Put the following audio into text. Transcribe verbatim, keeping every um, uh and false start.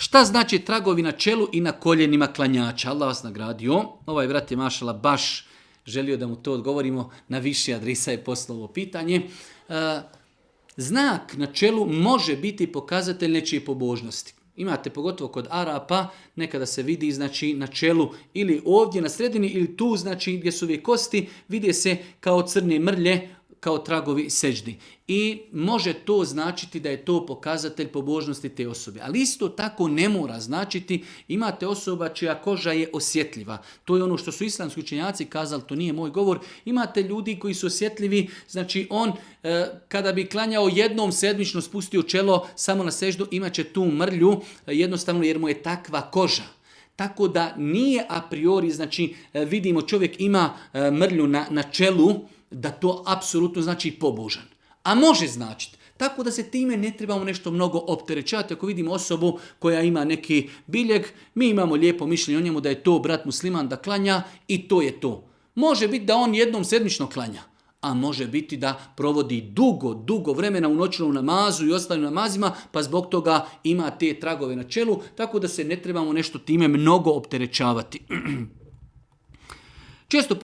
Šta znači tragovi na čelu i na koljenima klanjača? Allah vas nagradio. Ovaj brat je mašala baš želio da mu to odgovorimo. Na više adresa je poslao ovo pitanje. E, znak na čelu može biti pokazatelj nečije pobožnosti. Imate pogotovo kod Arapa, nekada se vidi znači na čelu ili ovdje na sredini ili tu znači gdje su ove kosti, vide se kao crne mrlje, kao tragovi seđdi. I može to značiti da je to pokazatelj pobožnosti te osobe. Ali isto tako ne mora značiti, imate osoba čija koža je osjetljiva. To je ono što su islamski učenjaci kazali, to nije moj govor. Imate ljudi koji su osjetljivi, znači on e, kada bi klanjao jednom sedmično spustio čelo samo na seždu, imat će tu mrlju, jednostavno jer mu je takva koža. Tako da nije a priori, znači vidimo čovjek ima mrlju na, na čelu, da to apsolutno znači pobožan. A može značiti. Tako da se time ne trebamo nešto mnogo opterećavati. Ako vidimo osobu koja ima neki biljeg, mi imamo lijepo mišljenje o njemu da je to brat musliman da klanja i to je to. Može biti da on jednom sedmično klanja, a može biti da provodi dugo, dugo vremena u noćnom namazu i ostalim namazima, pa zbog toga ima te tragove na čelu, tako da se ne trebamo nešto time mnogo opterećavati. Često